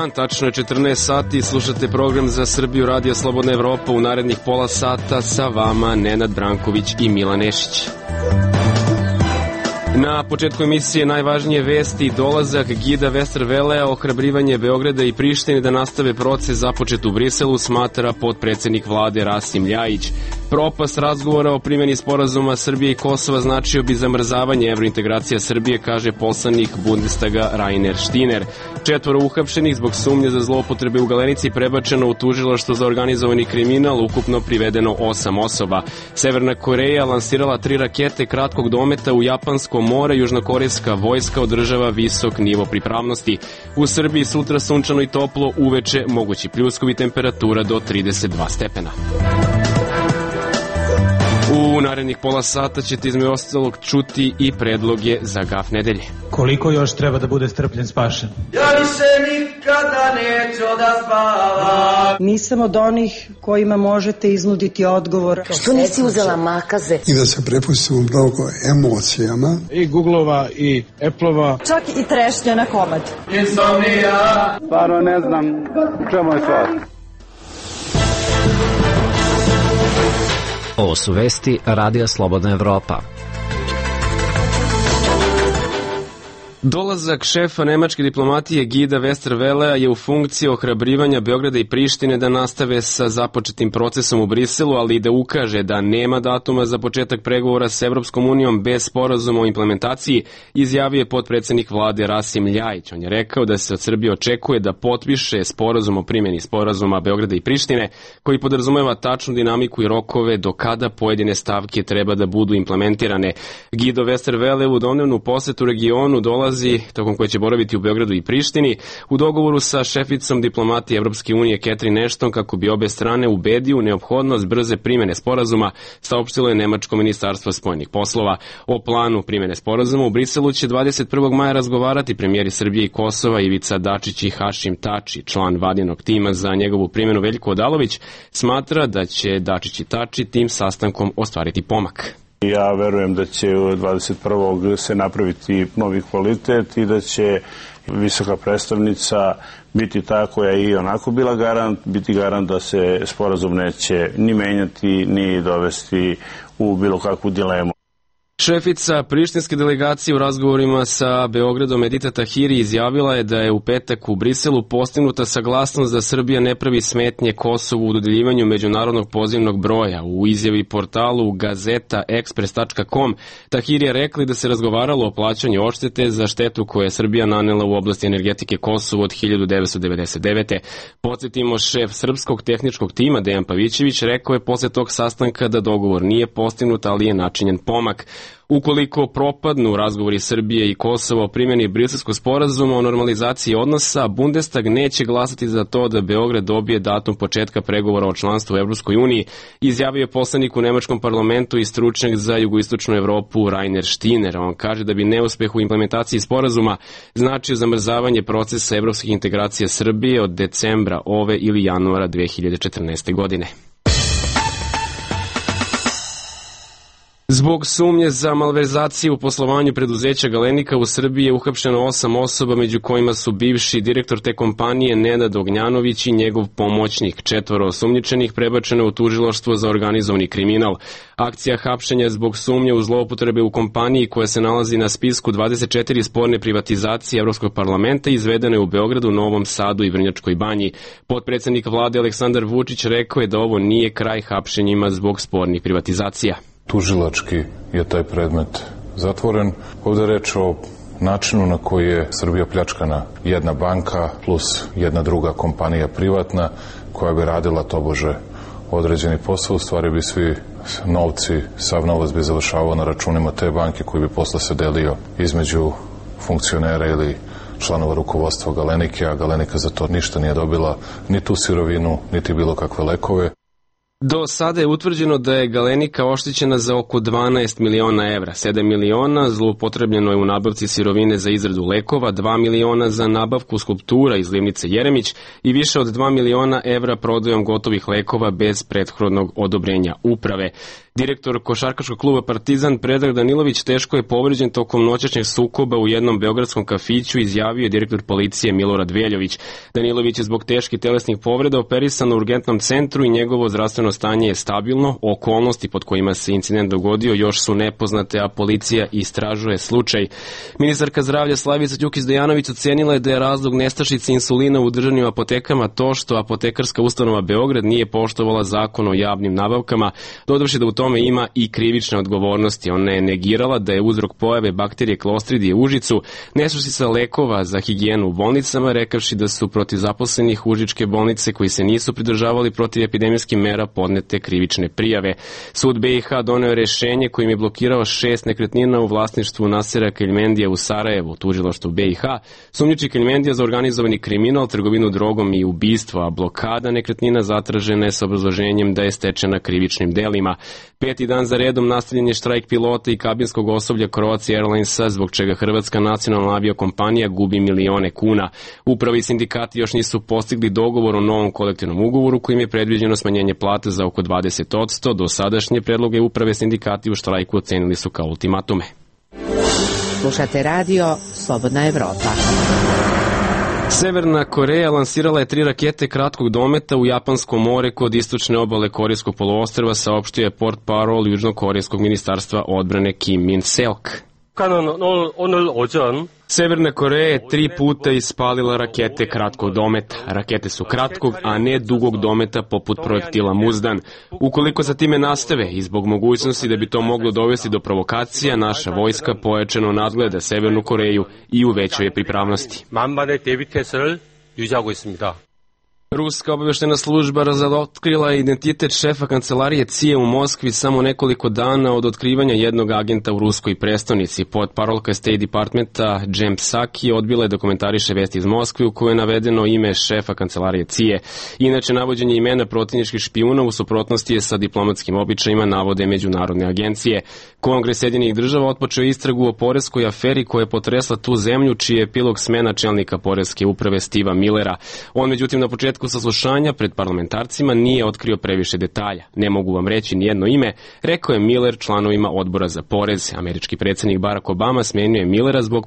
dan, tačno je 14 sati, slušate program za Srbiju Radio Slobodna Evropa. U narednih pola sata sa vama Nenad Branković i Milan Nešić. Na početku emisije najvažnije vesti: dolazak gida Westervelea, ohrabrivanje Beograda i Prištine da nastave proces započet u Briselu, smatra potpredsednik vlade Rasim Ljajić. Propast razgovora o primjeni sporazuma Srbije i Kosova značio bi zamrzavanje evrointegracija Srbije, kaže poslanik Bundestaga Rainer Štiner. 4 uhapšenih zbog sumnje za zloupotrebe u Galenici prebačeno u tužilaštvo za organizovani kriminal, ukupno privedeno 8 osoba. Severna Koreja lansirala 3 rakete kratkog dometa u Japansko more, južnokorejska vojska održava visok nivo pripravnosti. U Srbiji sutra sunčano i toplo, uveče mogući pljuskovi, temperatura do 32 stepena. U narednih pola sata ćete između ostalog čuti i predloge za gaf nedelje. Koliko još treba da bude strpljen spašen? Ja više nikada neću da spavam. Nisam od onih kojima možete iznuditi odgovor. Što nisi uzela makaze? I da se prepustimo mnogo emocijama. I Googlova i Apple-ova. Čak i trešnja na komad. Insomnija. Stvarno ne znam čemu je stvar. Ovo su vesti Radija Slobodna Evropa. Dolazak šefa nemačke diplomatije gida Westervelea je u funkciji ohrabrivanja Beograda i Prištine da nastave sa započetim procesom u Briselu, ali i da ukaže da nema datuma za početak pregovora s Evropskom unijom bez sporazuma o implementaciji, izjavio je potpredsednik vlade Rasim Ljajić. On je rekao da se od Srbije očekuje da potpiše sporazum o primjeni sporazuma Beograda i Prištine, koji podrazumeva tačnu dinamiku i rokove do kada pojedine stavke treba da budu implementirane. Gido Westervele u dnevnu posetu regionu dolazi tokom koje će boraviti u Beogradu i Prištini u dogovoru sa šeficom diplomatije Evropske unije Catherine Ashton kako bi obe strane ubedio u neophodnost brze primjene sporazuma, saopštilo je nemačko ministarstvo spoljnih poslova. O planu primjene sporazuma u Briselu će 21. maja razgovarati premijeri Srbije i Kosova Ivica Dačić i Hašim Tači. Član vladinog tima za njegovu primjenu Veljko Odalović smatra da će Dačić i Tači tim sastankom ostvariti pomak. Ja verujem da će 21. se napraviti novi kvalitet i da će visoka predstavnica biti ta koja je i onako bila garant, biti garant da se sporazum neće ni menjati, ni dovesti u bilo kakvu dilemu. Šefica prištinske delegacije u razgovorima sa Beogradom Edita Tahiri izjavila je da je u petak u Briselu postignuta saglasnost da Srbija ne pravi smetnje Kosovu u dodeljivanju međunarodnog pozivnog broja. U izjavi portalu gazetaexpress.com Tahiri je rekli da se razgovaralo o plaćanju odštete za štetu koju je Srbija nanela u oblasti energetike Kosovu od 1999. Podsjetimo, šef srpskog tehničkog tima Dejan Pavićević rekao je posle tog sastanka da dogovor nije postignut, ali je načinjen pomak. Ukoliko propadnu razgovori Srbije i Kosova o primjeni Briselskog sporazuma o normalizaciji odnosa, Bundestag neće glasati za to da Beograd dobije datum početka pregovora o članstvu u Evropskoj uniji, izjavio je poslanik u nemačkom parlamentu i stručnjak za jugoistočnu Evropu Rainer Štiner. On kaže da bi neuspeh u implementaciji sporazuma značio zamrzavanje procesa evropskih integracija Srbije od decembra ove ili januara 2014. godine. Zbog sumnje za malverzaciju u poslovanju preduzeća Galenika u Srbiji je uhapšeno 8 osoba, među kojima su bivši direktor te kompanije Nenad Ognjanović i njegov pomoćnik. 4 osumnjičenih prebačeno u tužilaštvo za organizovani kriminal. Akcija hapšenja zbog sumnje u zloupotrebe u kompaniji koja se nalazi na spisku 24 sporne privatizacije Evropskog parlamenta izvedena je u Beogradu, Novom Sadu i Vrnjačkoj Banji. Potpredsednik vlade Aleksandar Vučić rekao je da ovo nije kraj hapšenjima zbog spornih privatizacija. Tužilački je taj predmet zatvoren. Ovdje je reč o načinu na koji je Srbija pljačkana. Jedna banka plus jedna druga kompanija privatna koja bi radila tobože određeni posao. U stvari bi svi novci, sav novac bi završavao na računima te banke koji bi posle se delio između funkcionera ili članova rukovodstva Galenike, a Galenika za to ništa nije dobila, ni tu sirovinu, niti bilo kakve lekove. Do sada je utvrđeno da je Galenika oštećena za oko 12 miliona evra. 7 miliona zloupotrebljeno je u nabavci sirovine za izradu lekova, 2 miliona za nabavku skulptura iz livnice Jeremić i više od 2 miliona evra prodajom gotovih lekova bez prethodnog odobrenja uprave. Direktor košarkaškog kluba Partizan Predrag Danilović teško je povređen tokom noćašnjeg sukoba u jednom beogradskom kafiću, izjavio je direktor policije Milorad Veljović. Danilović je zbog teških telesnih povreda operisan u urgentnom centru i njegovo zdravstveno stanje je stabilno. Okolnosti pod kojima se incident dogodio još su nepoznate, a policija istražuje slučaj. Ministarka zdravlja Slavica Đukić-Dejanović ocenila je da je razlog nestašice insulina u državnim apotekama to što apotekarska ustanova Beograd nije poštovala zakon o javnim nabavkama, dodavši da u tome ima i krivične odgovornosti. Ona je negirala da je uzrok pojave bakterije Clostridije u Užicu nestašica lekova za higijenu u bolnicama, rekavši da su protiv zaposlenih užičke bolnice koji se nisu pridržavali protiv epidemijskih mera podnete krivične prijave. Sud BiH doneo je rešenje kojim je blokirao 6 nekretnina u vlasništvu Nasera Keljmendija u Sarajevu. Tužilaštvo BiH sumnjiči Keljmendija za organizovani kriminal, trgovinu drogom i ubistvo, a blokada nekretnina zatražena je sa obrazloženjem da je stečena krivičnim delima. 5. dan za redom nastavljen je štrajk pilota i kabinskog osoblja Croatia Airlinesa, zbog čega Hrvatska nacionalna aviokompanija gubi milione kuna. Upravi i sindikati još nisu postigli dogovor o novom kolektivnom ugovoru kojim je predviđeno smanjenje plate za oko 20%. Do sadašnje predloge uprave sindikati u štrajku ocenili su kao ultimatume. Slušate radio Slobodna Evropa. Severna Koreja lansirala je 3 rakete kratkog dometa u Japansko more kod istočne obale Korejskog poluostrva, saopštio je portparol Južnokorejskog ministarstva odbrane Kim Min-seok. Severna Koreja je 3 puta ispalila rakete kratkog dometa. Rakete su kratkog, a ne dugog dometa poput projektila Muzdan. Ukoliko sa time nastave i zbog mogućnosti da bi to moglo dovesti do provokacija, naša vojska pojačano nadgleda Severnu Koreju i u većoj je pripravnosti. Ruska obavještajna služba razotkrila je identitet šefa kancelarije CIA u Moskvi samo nekoliko dana od otkrivanja jednog agenta u ruskoj prestonici. Portparolka State Departmenta Jem Psaki odbila je da komentariše vesti iz Moskve u kojoj je navedeno ime šefa kancelarije CIA. Inače, navođenje imena protivničkih špijuna u suprotnosti je sa diplomatskim običajima, navode međunarodne agencije. Kongres Sjedinjenih država otpočeo istragu o poreskoj aferi koja je potresla tu zemlju, čiji je epilog smena čelnika poreske uprave Steva Millera. On, međutim, na početku saslušanja pred parlamentarcima nije otkrio previše detalja. Ne mogu vam reći nijedno ime, rekao je Miller članovima odbora za porez. Američki predsjednik Barack Obama smenio je Millera zbog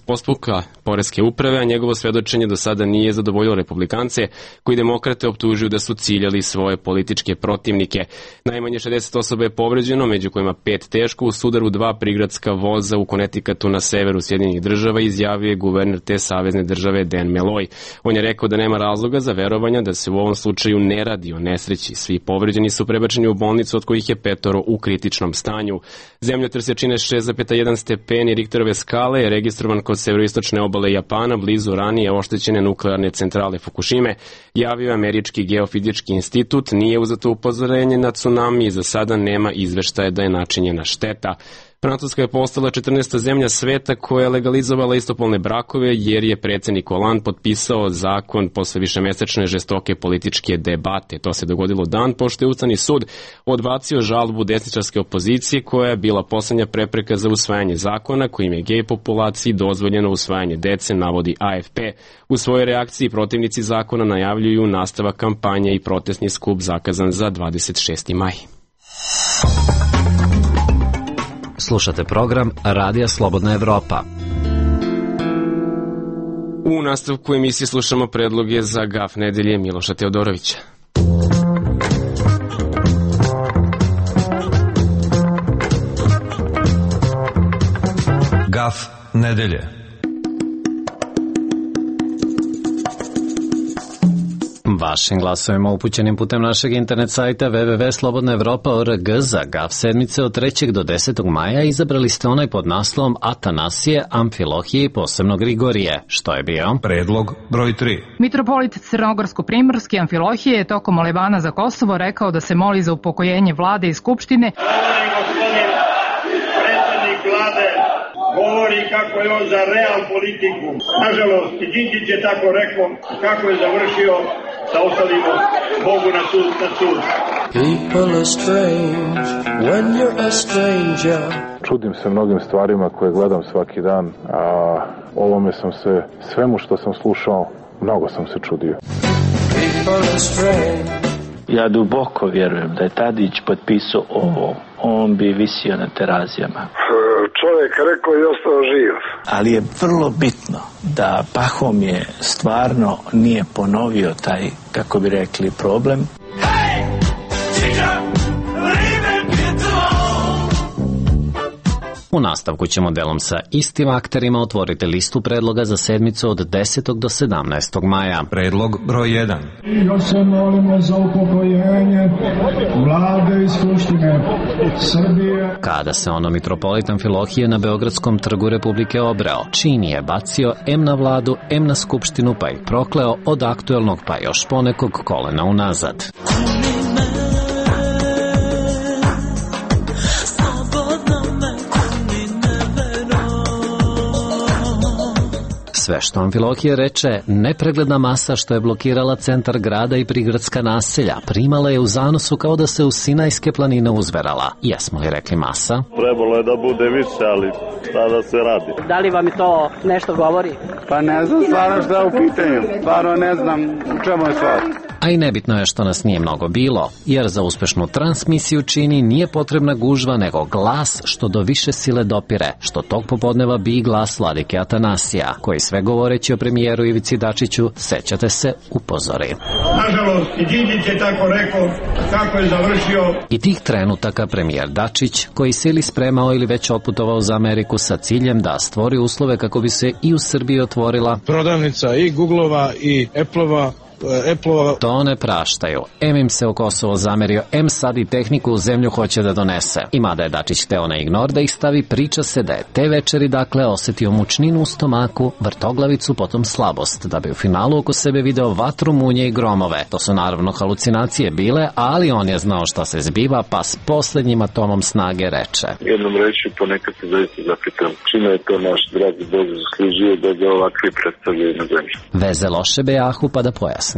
postupka poreske uprave, a njegovo svedočenje do sada nije zadovoljilo republikance, koji demokrate optužuju da su ciljali svoje političke protivnike. Najmanje 60 osoba je povređeno, među kojima 5 teško u sudaru 2 prigradska voza u Connecticutu na severu Sjedinjenih država, izjavio je guverner te savezne države Dan Malloy. On je rekao da nema razloga za verovanja da se u ovom slučaju ne radi o nesreći. Svi povređeni su prebačeni u bolnicu, od kojih je 5 u kritičnom stanju. Zemljotres jačine 6,1 stepeni Richterove skale je registrovan kod severoistočne obale Japana, blizu ranije oštećene nuklearne centrale Fukushime, javio je Američki geofizički institut. Nije uzeto upozorenje na tsunami i za sada nema izveštaja da je načinjena šteta. Francuska je postala 14. zemlja sveta koja je legalizovala istopolne brakove, jer je predsjednik Hollande potpisao zakon posle višemesečne žestoke političke debate. To se dogodilo dan pošto je Ustavni sud odbacio žalbu desničarske opozicije koja je bila poslednja prepreka za usvajanje zakona kojim je gej populaciji dozvoljeno usvajanje dece, navodi AFP. U svojoj reakciji protivnici zakona najavljuju nastavak kampanje i protestni skup zakazan za 26. maj. Slušate program Radija Slobodna Evropa. U nastavku emisije slušamo predloge za GAF nedelje Miloša Teodorovića. GAF nedelje. Vašim glasovima upućenim putem našeg internet sajta www.slobodnaevropa.org za GAF sedmice od 3. do 10. maja izabrali ste onaj pod naslovom Atanasije, Amfilohije i posebno Grigorije. Što je bio? Predlog broj 3. Mitropolit Crnogorsko-Primorski Amfilohije je tokom molevana za Kosovo rekao da se moli za upokojenje vlade i skupštine. Predsjednik vlade govori kako je on za real politiku. Nažalost, i Đinđić je tako rekao kako je završio sa ostalim Bogu na sud. People are strange when you're a stranger. Čudim se mnogim stvarima koje gledam svaki dan, a ovome sam se, svemu što sam slušao, mnogo sam se čudio. People are strange. Ja duboko vjerujem da je Tadić potpisao ovo, on bi visio na Terazijama. Čovjek rekao i ostao živ. Ali je vrlo bitno da Pahomije stvarno nije ponovio taj, kako bi rekli, problem. U nastavku ćemo delom sa istim akterima otvoriti listu predloga za sedmicu od 10. do 17. maja. Predlog broj 1. Još se molimo za upokojenje Vlade i Skupštine Srbije. Kada se ono mitropolit Amfilohije na Beogradskom trgu Republike obreo, čin je bacio em na vladu, em na skupštinu, pa ih prokleo od aktuelnog pa još ponekog kolena unazad. Sve što Amfilohije reče, nepregledna masa što je blokirala centar grada i prigradska naselja, primala je u zanosu kao da se u Sinajske planine uzverala. Jesmo li rekli masa? Trebalo je da bude više, ali sada se radi. Da li vam je to nešto govori? Pa ne znam stvarno šta je u pitanju. Stvarno ne znam u čemu je stvar. A i nebitno je što nas nije mnogo bilo, jer za uspešnu transmisiju čini nije potrebna gužva, nego glas što do više sile dopire, što tog popodneva bi glas vladike Atanasija, koji sve govoreći o premijeru Ivici Dačiću, sećate se, upozori. Nažalost, i Đinđić je tako rekao, kako je završio. I tih trenutaka premijer Dačić, koji se ili spremao ili već otputovao za Ameriku sa ciljem da stvori uslove kako bi se i u Srbiji otvorila prodavnica i Googlova i Appleova. To ne praštaju. Em im se u Kosovo zamerio, em sad i tehniku u zemlju hoće da donese. I mada je Dačić hteo na ignor da ih stavi, priča se da je te večeri dakle osetio mučninu u stomaku, vrtoglavicu, potom slabost, da bi u finalu oko sebe video vatru, munje i gromove. To su naravno halucinacije bile, ali on je znao šta se zbiva, pa s poslednjim atomom snage reče. Jednom reći ponekad se zaista zapitam čime je to naš dragi Bog zaslužio da ga ovakvi predstavljaju na zemlji. Veze loše bejahu pa da pojasnimo.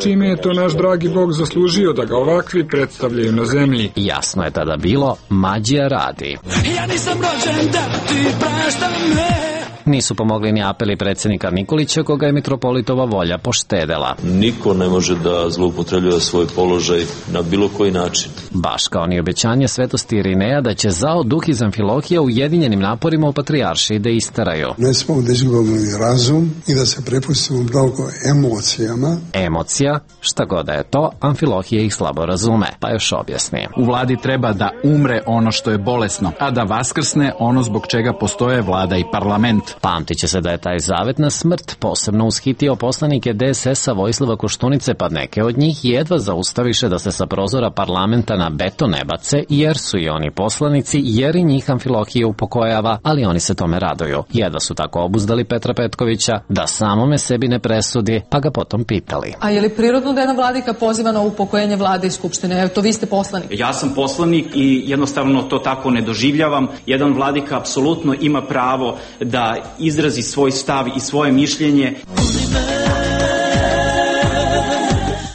Čime je to naš dragi Bog zaslužio da ga ovakvi predstavljaju na zemlji? Jasno je tada bilo, mađija radi. Ja nisam rođen da ti praštam me. Nisu pomogli ni apeli predsjednika Nikolića, koga je mitropolitova volja poštedela. Niko ne može da zloupotrebljava svoj položaj na bilo koji način. Baš kao ni obećanje svetosti Irineja da će zao duh iz Amfilohija ujedinjenim naporima u patrijaršiji da istaraju. Ne smemo da izgubimo razum i da se prepustimo mnogo emocijama. Emocija, šta god da je to, Amfilohije ih slabo razume, pa još objasni. U vladi treba da umre ono što je bolesno, a da vaskrsne ono zbog čega postoje vlada i parlament. Pamtit će se da je taj zavet na smrt posebno ushitio poslanike DSS-a Vojislava Koštunice, pa neke od njih jedva zaustaviše da se sa prozora parlamenta na beton ne bace, jer su i oni poslanici, jer i njih Amfilohije upokojava, ali oni se tome raduju. Jedva su tako obuzdali Petra Petkovića da samome sebi ne presudi, pa ga potom pitali. A je li prirodno da jedna vladika poziva na upokojenje vlade i skupštine? Evo, to vi ste poslanik. Ja sam poslanik i jednostavno to tako ne doživljavam. Jedan vladika apsolutno ima pravo da izrazi svoj stav i svoje mišljenje.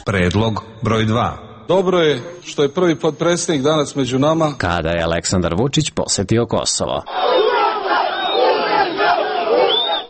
Predlog broj 2. Dobro je što je prvi potpredsjednik danas među nama. Kada je Aleksandar Vučić posetio Kosovo.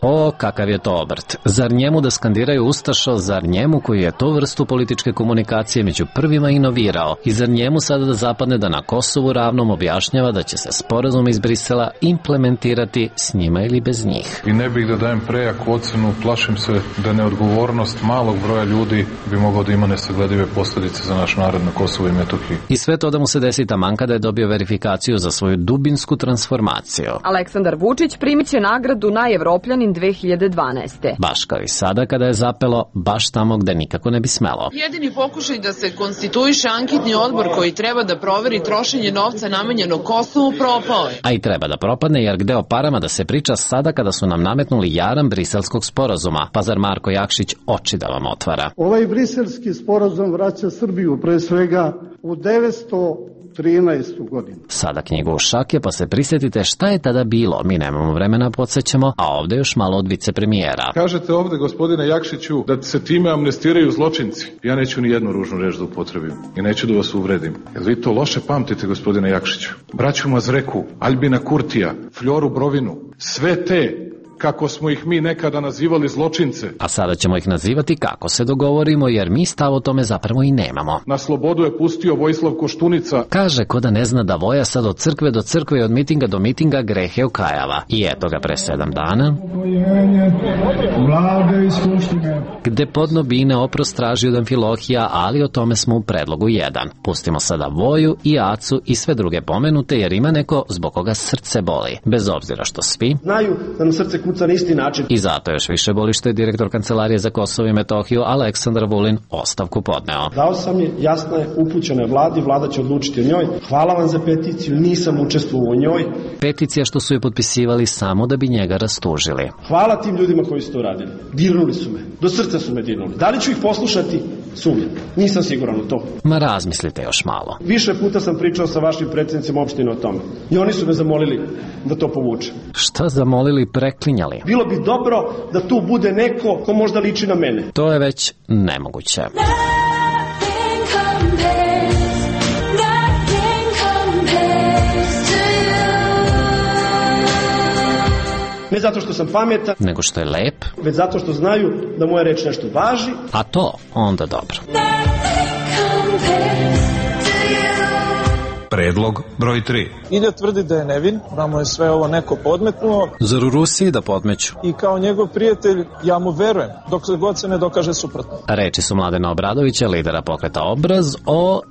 O, kakav je to obrt. Zar njemu da skandiraju Ustašo, zar njemu koji je tu vrstu političke komunikacije među prvima inovirao i zar njemu sada da zapadne da na Kosovu ravnom objašnjava da će se sporazum iz Brisela implementirati s njima ili bez njih. I ne bih da dajem prejaku ocenu, plašim se da neodgovornost malog broja ljudi bi mogao da ima nesagledive posljedice za naš narod na Kosovu i Metohiji. I sve to da mu se desi taman kada je dobio verifikaciju za svoju dubinsku transformaciju. Aleksandar Vučić primit će nagradu Najevropljanin 2012. Baš kao i sada kada je zapelo, baš tamo gde nikako ne bi smelo. Jedini pokušaj da se konstituiše anketni odbor koji treba da proveri trošenje novca namenjenog Kosovu propao je. A i treba da propadne, jer gde o parama da se priča sada kada su nam nametnuli jaram briselskog sporazuma, pa zar Marko Jakšić oči da vam otvara? Ovaj briselski sporazum vraća Srbiju pre svega u 900 13. godinu. Sada knjigu u šake, pa se prisjetite šta je tada bilo. Mi nemamo vremena, podsjećamo, a ovdje još malo od vicepremijera. Kažete ovdje, gospodine Jakšiću, da se time amnestiraju zločinci. Ja neću ni jednu ružnu reč da upotrebim i neću da vas uvredim. Jel vi to loše pamtite, gospodine Jakšiću? Braću Mazreku, Albina Kurtija, Fljoru Brovinu, sve te kako smo ih mi nekada nazivali zločince. A sada ćemo ih nazivati kako se dogovorimo, jer mi stav o tome zapravo i nemamo. Na slobodu je pustio Vojislav Koštunica. Kaže ko da ne zna da Voja sad od crkve do crkve i od mitinga do mitinga grehe okajava. I eto ga pre 7 dana, gde podno bine oprost traži od Amfilohija, ali o tome smo u predlogu 1. Pustimo sada Voju i Acu i sve druge pomenute, jer ima neko zbog koga srce boli. Bez obzira što svi znaju da nam srce kuca na isti način. I zato još više boli što je direktor Kancelarije za Kosovo i Metohiju Aleksandar Vulin ostavku podneo. Dao sam je, jasno je, upućena je vladi, vlada će odlučiti o njoj. Hvala vam za peticiju, nisam učestvovao u njoj. Peticija što su je potpisivali samo da bi njega rastužili. Hvala tim ljudima koji su to uradili. Dirnuli su me, do srca su me dirnuli. Da li ću ih poslušati? Sumnjam. Nisam siguran u to. Ma razmislite još malo. Više puta sam pričao sa vašim predsjednicima opštine o tome. I oni su me zamolili da to povuče. Šta zamolili, preklinjali? Bilo bi dobro da tu bude neko ko možda liči na mene. To je već nemoguće. Ne zato što sam pametan, nego što je lep, već zato što znaju da moja reč nešto važi. A to onda dobro. Predlog broj 3. Ilja tvrdi da je nevin, da mu je sve ovo neko podmetnuo. Zar u Rusiji da podmeću? I kao njegov prijatelj, ja mu verujem, dok god se ne dokaže suprotno. Reči su Mladena Obradovića, lidera pokreta Obraz,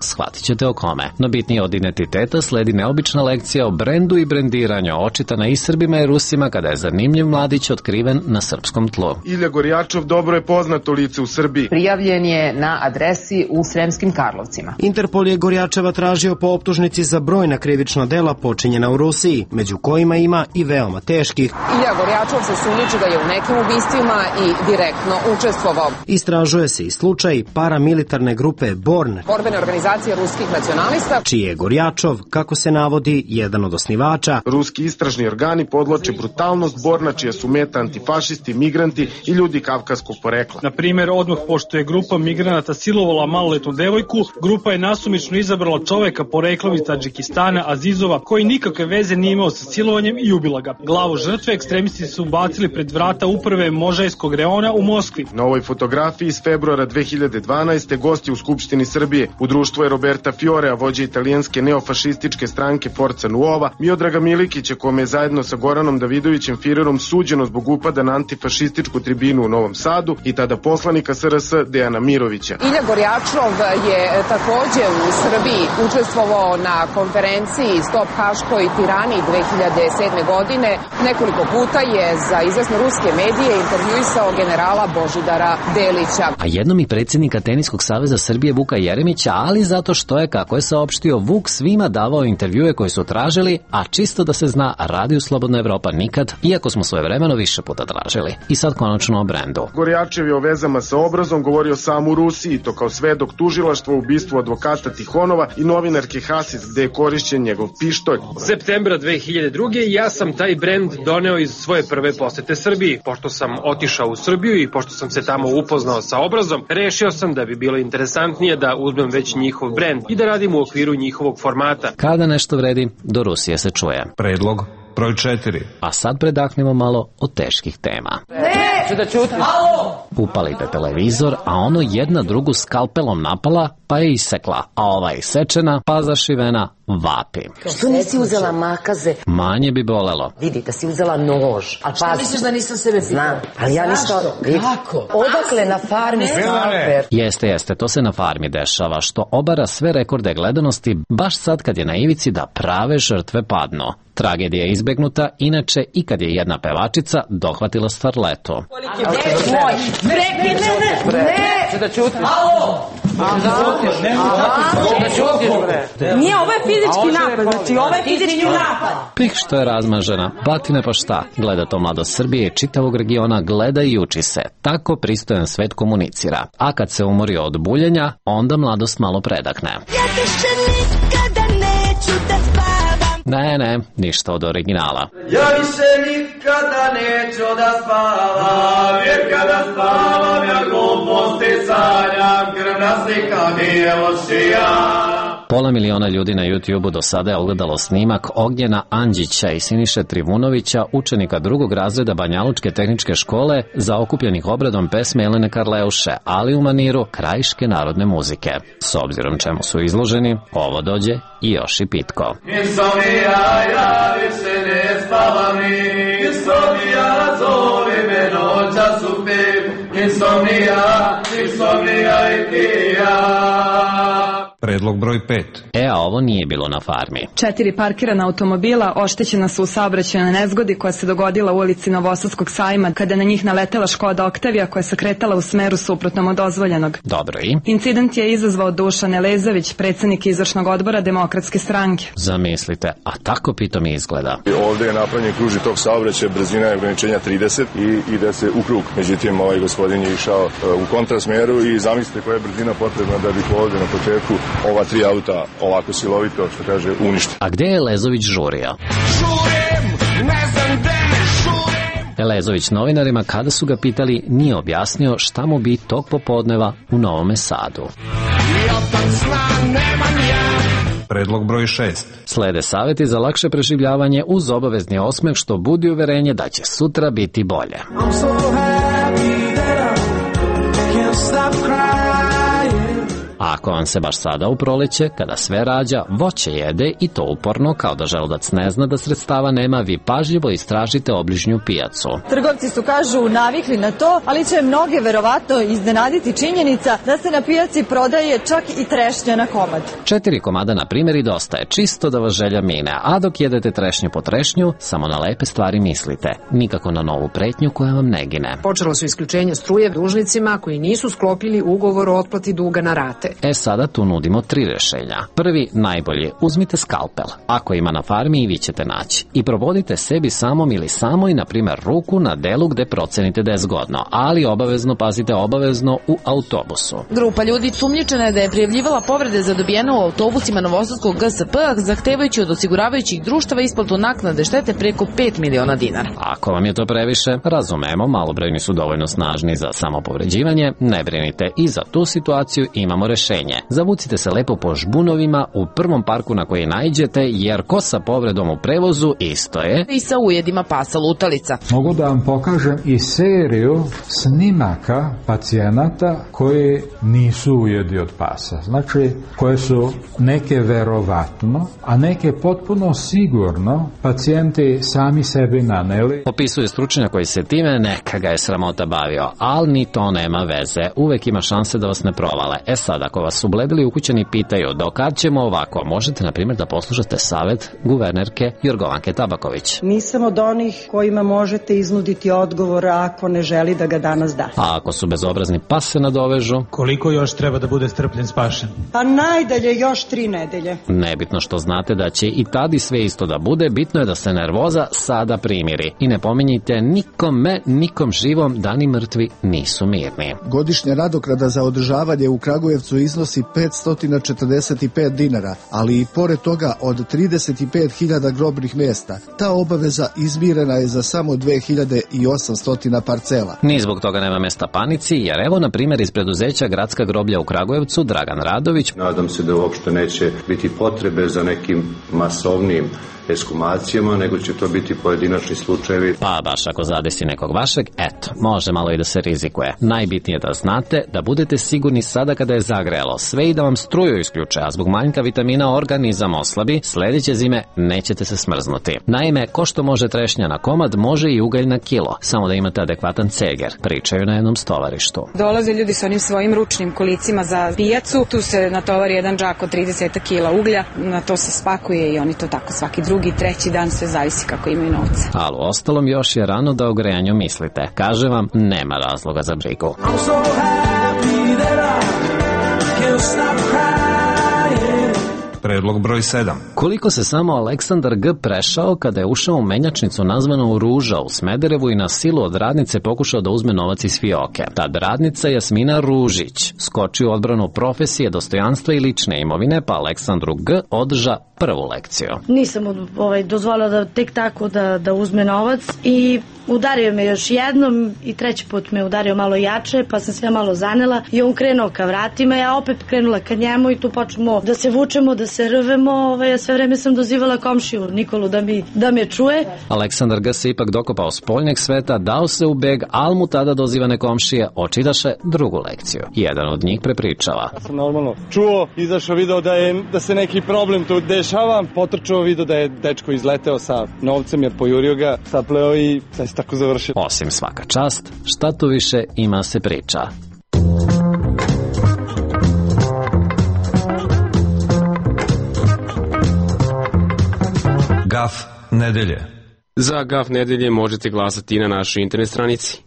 shvatit ćete o kome. No bitnije od identiteta sledi neobična lekcija o brendu i brendiranju, očitana i Srbima i Rusima kada je zanimljiv mladić otkriven na srpskom tlu. Ilja Gorjačov dobro je poznato lice u Srbiji. Prijavljen je na adresi u Sremskim Karlovcima. Interpol je Gorjačeva tražio po optužnici za brojna krivična dela počinjena u Rusiji, među kojima ima i veoma teških. Ilja Gorjačov se sumnjiči da je u nekim ubistvima i direktno učestvovao. Istražuje se i slučaj paramilitarne grupe Born, borbene organizacije ruskih nacionalista, čiji je Gorjačov, kako se navodi, jedan od osnivača. Ruski istražni organi podvlače brutalnost Borna, čija su meta antifašisti, migranti i ljudi kavkaskog porekla. Na primjer, odmah pošto je grupa migranata silovala maloletnu devojku, grupa je nasumično izabrala čoveka poreklom iz Tadžikistana, Azizova, koji nikakve veze nije imao sa silovanjem i ubila ga. Glavu žrtve ekstremisti su bacili pred vrata uprave Možajskog reona u Moskvi. Na ovoj fotografiji iz februara 2012. gosti u Skupštini Srbije u društvu je Roberta Fiorea, vođa italijanske neofašističke stranke Forza Nuova, Miodraga Milikića, kome je zajedno sa Goranom Davidovićem Firerom suđeno zbog upada na antifašističku tribinu u Novom Sadu i tada poslanika SRS Dejana Mirovića. Ilja Gorjačov je takođe u Srbiji učestvovao na konferenciji Stop Haškoj tirani 2007. godine. Nekoliko puta je za izvesne ruske medije intervjuisao generala Božidara Delića. A jednom i predsjednika Teniskog saveza Srbije Vuka Jeremića, ali zato što je, kako je saopštio, Vuk svima davao intervjue koje su tražili, a čisto da se zna, Radio Slobodna Evropa nikad, iako smo svojevremeno više puta tražili. I sad konačno o brendu. Gorjačev je o vezama sa Obrazom govorio sam u Rusiji, to kao svedok tužilaštva u ubistvu advokata Tihonova i novinarke Hasis, gde je korišćen njegov pištolj. Septembra 2002. ja sam taj brend doneo iz svoje prve posete Srbiji. Pošto sam otišao u Srbiju i pošto sam se tamo upoznao sa Obrazom, rešio sam da bi bilo interesantnije da uzmem već njihov brend i da radim u okviru njihovog formata. Kada nešto vredi, do Rusije se čuje. Predlog broj 4. A sad predahnemo malo od teških tema. Ne, da ćutim. Upalite televizor, a ono jedna drugu skalpelom napala, pa je isekla, a ova isečena, pa zašivena, vapi. Što nisi uzela makaze? Manje bi bolelo. Vidi, da si uzela nož. Šta misliš da nisam sebe pitala? Znam, ali ja ništa... Kako? Odakle na farmi skalper? Jeste, to se na farmi dešava, što obara sve rekorde gledanosti, baš sad kad je na ivici da prave žrtve padnu. Tragedija je izbegnuta, inače i kad je jedna pevačica dohvatila starletu. Ne, da ćutim. Nije, ovo je fizički napad, znači ovo je fizički napad. Pih što je razmažena, batine pa šta, gleda to mladost Srbije, čitavog regiona, gleda i uči se. Tako pristojan svet komunicira. A kad se umori od buljenja, onda mladost malo predahne. Ja više nikada ne Ne, ništa od originala. Ja više nikada neću da spavam, jer kada spavam ja gluposti sanjam, krvna slika Milošija. 500 miliona ljudi na YouTube-u do sada je ogledalo snimak Ognjena Andžića i Siniše Trivunovića, učenika drugog razreda Banjalučke tehničke škole, zaokupljenih obradom pesme Elene Karleuše, ali u maniru krajiške narodne muzike. S obzirom čemu su izloženi, ovo dođe i još i pitko. Insomnija, ja više ne spavam ni, insomnija, zove me noća su pip, insomnija i ti ja. Predlog broj 5. A ovo nije bilo na farmi. 4 parkirana automobila oštećena su u saobraćajnoj nezgodi koja se dogodila u ulici Novosadskog sajma kada na njih naletela Škoda Oktavija koja se kretala u smeru suprotnom od dozvoljenog. Dobro i? Incident je izazvao Dušan Elezović, predsjednik izvršnog odbora Demokratske stranke. Zamislite, a tako pitom izgleda. Ovde je napravljen kružni tok saobraćaja, brzina je ograničenja 30 i ide se u krug. Međutim, ovaj gospodin je išao u kontrasmeru i zamislite koja je brzina potrebna da bi ovde na početku ova 3 auta ovako silovito, što kaže, uništi. A gde je Elezović žurio? Žurim, ne znam gde žurim. Elezović novinarima, kada su ga pitali, nije objasnio šta mu bi tog popodneva u Novome Sadu. Predlog broj 6. Slede savjeti za lakše preživljavanje uz obavezni osmeh što budi uverenje da će sutra biti bolje. A ako vam se baš sada u proleće, kada sve rađa, voće jede i to uporno, kao da želudac ne zna da sredstava nema, vi pažljivo istražite obližnju pijacu. Trgovci su, kažu, navikli na to, ali će mnoge verovatno iznenaditi činjenica da se na pijaci prodaje čak i trešnja na komad. 4 komada na primjer i dosta je, čisto da vas želja mine, a dok jedete trešnju po trešnju, samo na lepe stvari mislite, nikako na novu pretnju koja vam ne gine. Počelo su isključenje struje dužnicima koji nisu sklopili ugovor o otplati duga na rate. Sada tu nudimo 3 rješenja. Prvi, najbolji, uzmite skalpel. Ako ima na farmi i vi ćete naći. I probodite sebi samom ili samoj, na primjer, ruku na delu gde procenite da je zgodno, ali pazite obavezno u autobusu. Grupa ljudi sumnjičena je da je prijavljivala povrede zadobijene u autobusima Novosadskog GSP, zahtevajući od osiguravajućih društava isplatu naknade štete preko 5 miliona dinara. Ako vam je to previše, razumemo, malobrojni su dovoljno snažni za samopovređivanje, ne brinite, i za tu situaciju imamo rješenje. Zavucite se lepo po žbunovima u prvom parku na koji naiđete, jer ko sa povredom u prevozu isto je i sa ujedima pasa lutalica. Mogu da vam pokažem i seriju snimaka pacijenata koji nisu ujedi od pasa. Znači, koje su neke verovatno, a neke potpuno sigurno pacijenti sami sebi naneli. Opisuje stručnjak koji se time, neka ga je sramota bavio, ali ni to nema veze. Uvek ima šanse da vas ne provale. Sad, ako vas ubledili ukućeni pitaju do kad ćemo ovako, možete, na primjer, da poslušate savjet guvernerke Jorgovanke Tabaković. Nisam od onih kojima možete iznuditi odgovor ako ne želi da ga danas da. A ako su bezobrazni pa se nadovežu. Koliko još treba da bude strpljen spašen? Pa najdalje još 3 nedelje. Nebitno što znate da će i tada sve isto da bude, bitno je da se nervoza sada primiri. I ne pominjite nikom živom da ni mrtvi nisu mirni. Godišnja nadoknada za održavanje u Kragujevcu iznosi 545 dinara, ali i pored toga od 35.000 grobnih mjesta. Ta obaveza izmirena je za samo 2800 parcela. Ni zbog toga nema mesta panici, jer evo, na primjer, iz preduzeća Gradska groblja u Kragujevcu, Dragan Radović. Nadam se da uopšte neće biti potrebe za nekim masovnim ekshumacijama, nego će to biti pojedinačni slučajevi. Pa baš ako zadesi nekog vašeg, eto, može malo i da se rizikuje. Najbitnije da znate da budete sigurni sada kada je zagrelo sve i da vam struju isključe, a zbog manjka vitamina organizam oslabi, sljedeće zime nećete se smrznuti. Naime, ko što može trešnja na komad, može i ugalj na kilo, samo da imate adekvatan ceger, pričaju na jednom stovarištu. Dolaze ljudi sa onim svojim ručnim kolicima za pijacu, tu se natovari jedan džak od 30 kila uglja, na to se spakuje i oni to tako svaki drugi, treći dan, sve zavisi kako imaju novca. Ali u ostalom još je rano da o grejanju mislite. Kaže vam, nema razloga za brigu. Predlog broj 7. Koliko se samo Aleksandar G. prešao kada je ušao u menjačnicu nazvanu Ruža u Smederevu i na silu od radnice pokušao da uzme novac iz fioke. Tad radnica Jasmina Ružić skoči u odbranu profesije, dostojanstva i lične imovine, pa Aleksandru G. održa prvu lekciju. Nisam dozvolila da tek tako da uzme novac i udario me još jednom i treći put me udario malo jače, pa sam sve malo zanela i on krenuo ka vratima, ja opet krenula ka njemu i tu počnemo da se vučemo, da se rvemo, sve vreme sam dozivala komšiju Nikolu da me čuje. Aleksandar G. se ipak dokopao spoljnjeg sveta, dao se u beg, al mu tada dozivane komšije očidaše drugu lekciju. Jedan od njih prepričava. Ja sam normalno čuo, izašao, video da se neki problem tu dešava, potrčao, video da je dečko izleteo sa novcem jer pojurio ga, sapleo i sad se tako završio. Osim svaka čast, šta tu više ima se priča. Gaf nedelje. Za Gaf nedelje možete glasati na našoj internet stranici.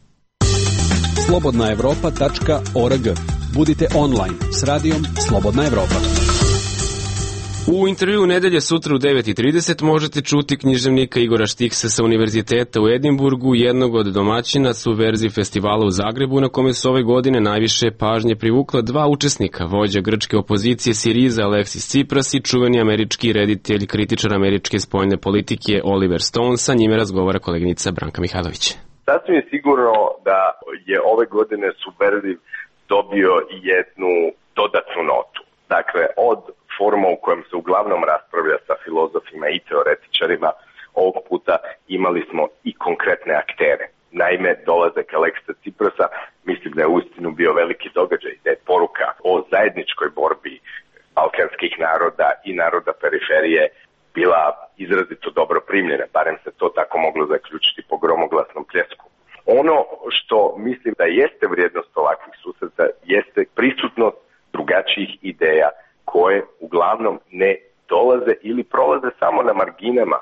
slobodnaevropa.org. Budite online s radijom Slobodna Evropa. U intervju nedelje sutra u 9:30 možete čuti književnika Igora Štiksa sa Univerziteta u Edinburgu, jednog od domaćina su verziji festivala u Zagrebu, na kome su ove godine najviše pažnje privukla dva učesnika, vođa grčke opozicije Siriza Aleksis Tsipras i čuveni američki reditelj, kritičar američke spoljne politike Oliver Stone. Sa njime razgovara koleginica Branka Mihajlović. Sasvim je sigurno da je ove godine Superziv dobio jednu dodatnu notu. Dakle, od foruma u kojem se uglavnom raspravlja sa filozofima i teoretičarima, ovog puta imali smo i konkretne aktere. Naime, dolazak Aleksisa Tsiprasa, mislim da je uistinu bio veliki događaj, da je poruka o zajedničkoj borbi balkanskih naroda i naroda periferije bila izrazito dobro primljena, barem se to tako moglo zaključiti po gromoglasnom pljesku. Ono što mislim da jeste vrijednost ovakvih susreta jeste prisutnost drugačijih ideja koje uglavnom ne dolaze ili prolaze samo na marginama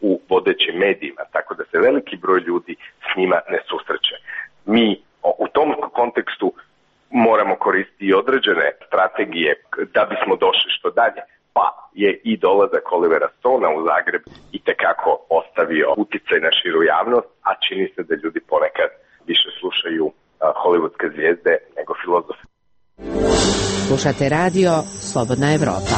u vodećim medijima, tako da se veliki broj ljudi s njima ne susreće. Mi u tom kontekstu moramo koristiti i određene strategije da bismo došli što dalje, pa je i dolazak Olivera Stona u Zagreb itekako ostavio uticaj na širu javnost, a čini se da ljudi ponekad više slušaju hollywoodske zvijezde nego filozofe. Slušate radio Slobodna Evropa.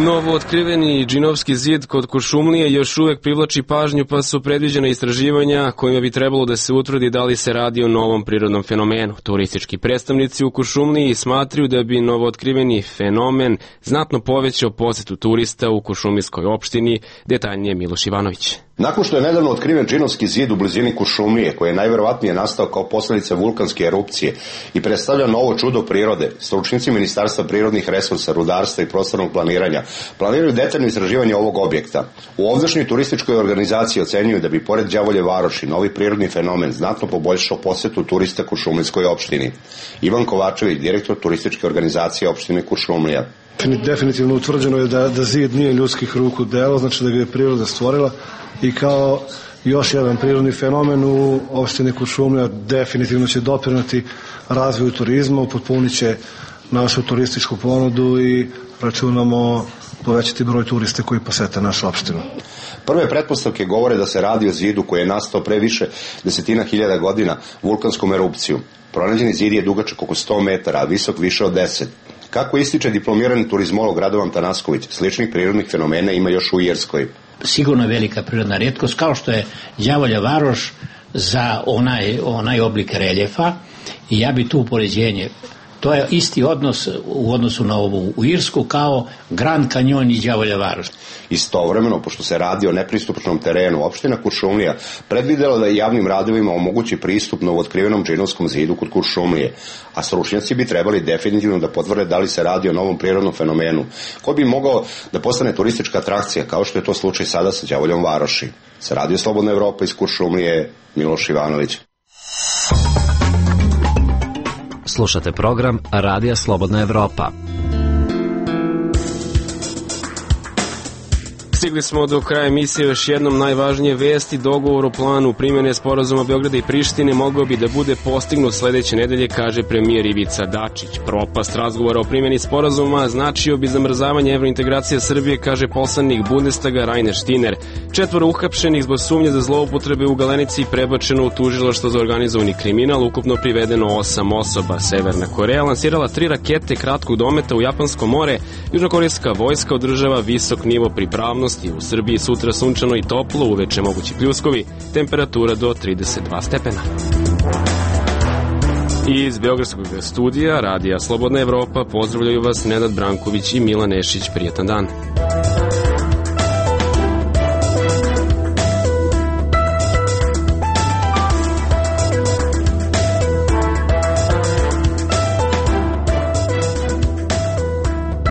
Novo otkriveni džinovski zid kod Kuršumlije još uvek privlači pažnju, pa su predviđena istraživanja kojima bi trebalo da se utvrdi da li se radi o novom prirodnom fenomenu. Turistički predstavnici u Kuršumliji smatraju da bi novo otkriveni fenomen znatno povećao posetu turista u Kuršumlijskoj opštini, detaljnije Miloš Ivanović. Nakon što je nedavno otkriven džinovski zid u blizini Kuršumlije, koji je najverovatnije nastao kao posledica vulkanske erupcije i predstavlja novo čudo prirode, stručnjaci Ministarstva prirodnih resursa, rudarstva i prostornog planiranja planiraju detaljno istraživanje ovog objekta. U ovdašnjoj turističkoj organizaciji ocenjuju da bi pored Đavolje Varoši novi prirodni fenomen znatno poboljšao posetu turista Kuršumlijskoj opštini. Ivan Kovačević, direktor turističke organizacije opštine Kuršumlija. Definitivno utvrđeno je da zid nije ljudskih ruku delo, znači da ga je priroda stvorila i kao još jedan prirodni fenomen u opštini Kuršumlija definitivno će doprineti razvoju turizma, upotpunit će našu turističku ponudu i računamo povećati broj turista koji posete našu opštinu. Prve pretpostavke govore da se radi o zidu koji je nastao pre više desetina hiljada godina vulkanskom erupcijom. Pronađeni zid je dugačak oko 100 metara, a visok više od 10. Kako ističe diplomirani turizmolog Radovan Tanasković, sličnih prirodnih fenomena ima još u Irskoj. Sigurno je velika prirodna retkost, kao što je Đavolja Varoš za onaj oblik reljefa, i ja bi tu upoređenje. To je isti odnos u odnosu na ovu u Irsku kao Grand Canyon i Đavolja Varoš. Istovremeno, pošto se radi o nepristupnom terenu, opština Kuršumlija predvidela da javnim radovima omogući pristup novootkrivenom džinovskom zidu kod Kuršumlije, a stručnjaci bi trebali definitivno da potvrde da li se radi o novom prirodnom fenomenu, koji bi mogao da postane turistička atrakcija, kao što je to slučaj sada sa Đavoljom Varoši. Sa Radio Slobodna Evropa iz Kuršumlije, Miloš Ivanović. Slušate program Radija Slobodna Evropa. Stigli smo do kraja emisije, još jednom najvažnije vesti. Dogovor o planu primjene sporazuma Beograda i Prištine mogao bi da bude postignut sledeće nedelje, kaže premijer Ivica Dačić. Propast razgovora o primjeni sporazuma značio bi zamrzavanje evrointegracije Srbije, kaže poslanik Bundestaga Rainer Štiner. 4 uhapšenih zbog sumnje za zloupotrebe u Galenici prebačeno u tužilaštvo za organizovani kriminal, ukupno privedeno 8 osoba. Severna Koreja lansirala 3 rakete kratkog dometa u Japansko more. Južnokorejska vojska održava visok nivo pripravnosti. U Srbiji sutra sunčano i toplo, uveče mogući pljuskovi, temperatura do 32 stepena. Iz Beogradskog studija Radija Slobodna Evropa pozdravljaju vas Nenad Branković i Milan Nešić. Prijetan dan.